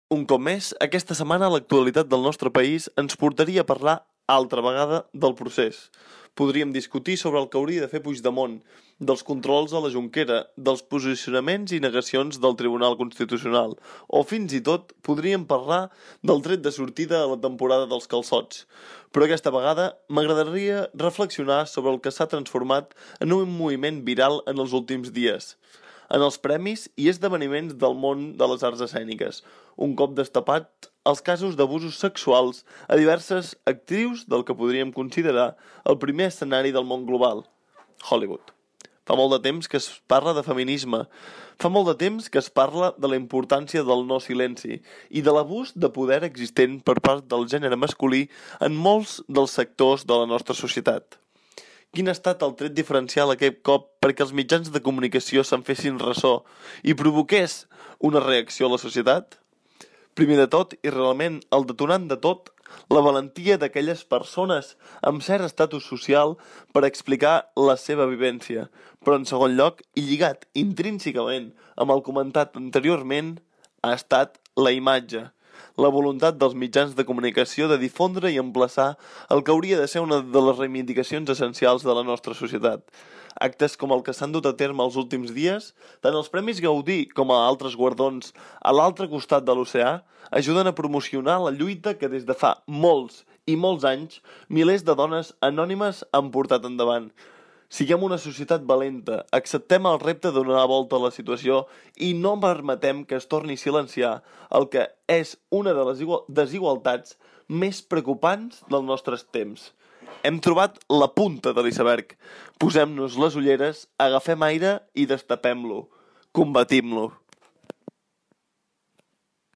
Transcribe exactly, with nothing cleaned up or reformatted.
Un cop més, aquesta setmana l'actualitat del nostre país ens portaria a parlar altra vegada del procés. Podríem discutir sobre el que hauria de fer Puigdemont, dels controls a la Jonquera, dels posicionaments i negacions del Tribunal Constitucional, o fins i tot podríem parlar del tret de sortida a la temporada dels calçots. Però aquesta vegada m'agradaria reflexionar sobre el que s'ha transformat en un moviment viral en els últims dies. En els premis i esdeveniments del món de les arts escèniques, un cop destapat els casos d'abusos sexuals a diverses actrius del que podríem considerar el primer escenari del món global, Hollywood. Fa molt de temps que es parla de feminisme, fa molt de temps que es parla de la importància del no silenci i de l'abús de poder existent per part del gènere masculí en molts dels sectors de la nostra societat. Quin ha estat el tret diferencial aquest cop perquè els mitjans de comunicació se'n fessin ressò i provoqués una reacció a la societat? Primer de tot, i realment el detonant de tot, la valentia d'aquelles persones amb cert estatus social per explicar la seva vivència. Però en segon lloc, i lligat intrínsecament amb el comentat anteriorment, ha estat la imatge. La voluntat dels mitjans de comunicació de difondre i emplaçar el que hauria de ser una de les reivindicacions essencials de la nostra societat. Actes com el que s'han dut a terme els últims dies, tant els Premis Gaudí com a altres guardons a l'altre costat de l'oceà, ajuden a promocionar la lluita que des de fa molts i molts anys milers de dones anònimes han portat endavant. Siguem una societat valenta, acceptem el repte de donar la volta a la situació i no permetem que es torni a silenciar el que és una de les desigualtats més preocupants dels nostres temps. Hem trobat la punta de l'iceberg. Posem-nos les ulleres, agafem aire i destapem-lo. Combatim-lo.